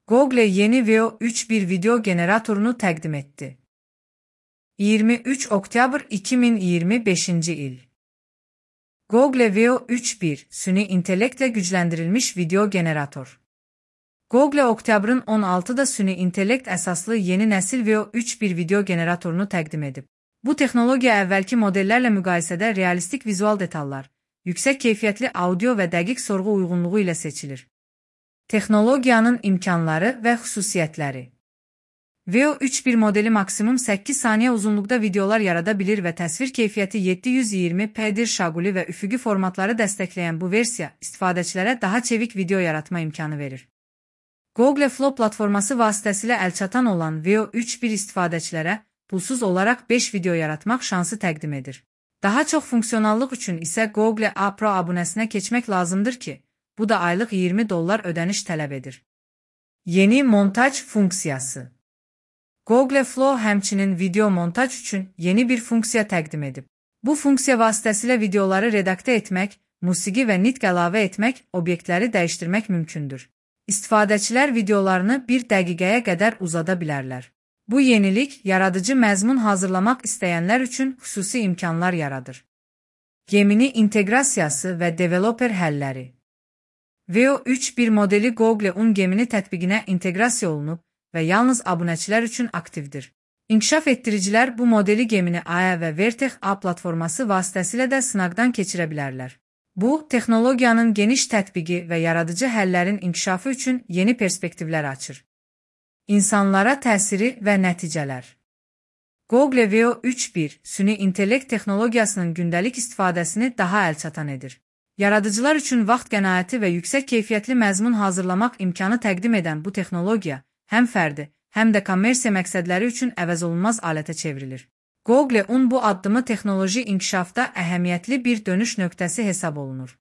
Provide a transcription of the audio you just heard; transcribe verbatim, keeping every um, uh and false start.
Google yeni Veo üç bir video generatorunu təqdim etdi. iyirmi üç oktyabr iki min iyirmi beşinci il. Google Veo üç bir süni intellektlə gücləndirilmiş video generator. Google oktyabrın on altıda süni intellekt əsaslı yeni nəsil Veo üç bir video generatorunu təqdim edib. Bu texnologiya əvvəlki modellərlə müqayisədə realistik vizual detallar, yüksək keyfiyyətli audio və dəqiq sorğu uyğunluğu ilə seçilir. Texnologiyanın imkanları və xüsusiyyətləri. Veo üç bir modeli maksimum səkkiz saniyə uzunluqda videolar yarada bilir və təsvir keyfiyyəti yeddi yüz iyirmi p-dir. Şaquli və üfüqi formatları dəstəkləyən bu versiya istifadəçilərə daha çevik video yaratma imkanı verir. Google Flow platforması vasitəsilə əlçatan olan Veo üç bir istifadəçilərə pulsuz olaraq beş video yaratmaq şansı təqdim edir. Daha çox funksionallıq üçün isə Google A Pro abunəsinə keçmək lazımdır ki, bu da aylıq iyirmi dollar ödəniş tələb edir. Yeni montaj funksiyası. Google Flow həmçinin video montaj üçün yeni bir funksiya təqdim edib. Bu funksiya vasitəsilə videoları redaktə etmək, musiqi və nitq əlavə etmək, obyektləri dəyişdirmək mümkündür. İstifadəçilər videolarını bir dəqiqəyə qədər uzada bilərlər. Bu yenilik, yaradıcı məzmun hazırlamaq istəyənlər üçün xüsusi imkanlar yaradır. Gemini inteqrasiyası və developer həlləri. Veo üç bir modeli Google Un Gemini tətbiqinə inteqrasiya olunub və yalnız abunəçilər üçün aktivdir. İnkişaf etdiricilər bu modeli Gemini A və Vertex A platforması vasitəsilə də sınaqdan keçirə bilərlər. Bu, texnologiyanın geniş tətbiqi və yaradıcı həllərin inkişafı üçün yeni perspektivlər açır. İnsanlara təsiri və nəticələr. Google Veo üç bir süni intellekt texnologiyasının gündəlik istifadəsini daha əlçatan edir. Yaradıcılar üçün vaxt qənaəti və yüksək keyfiyyətli məzmun hazırlamaq imkanı təqdim edən bu texnologiya həm fərdi, həm də kommersiya məqsədləri üçün əvəzolunmaz alətə çevrilir. Google Un bu addımı texnoloji inkişafda əhəmiyyətli bir dönüş nöqtəsi hesab olunur.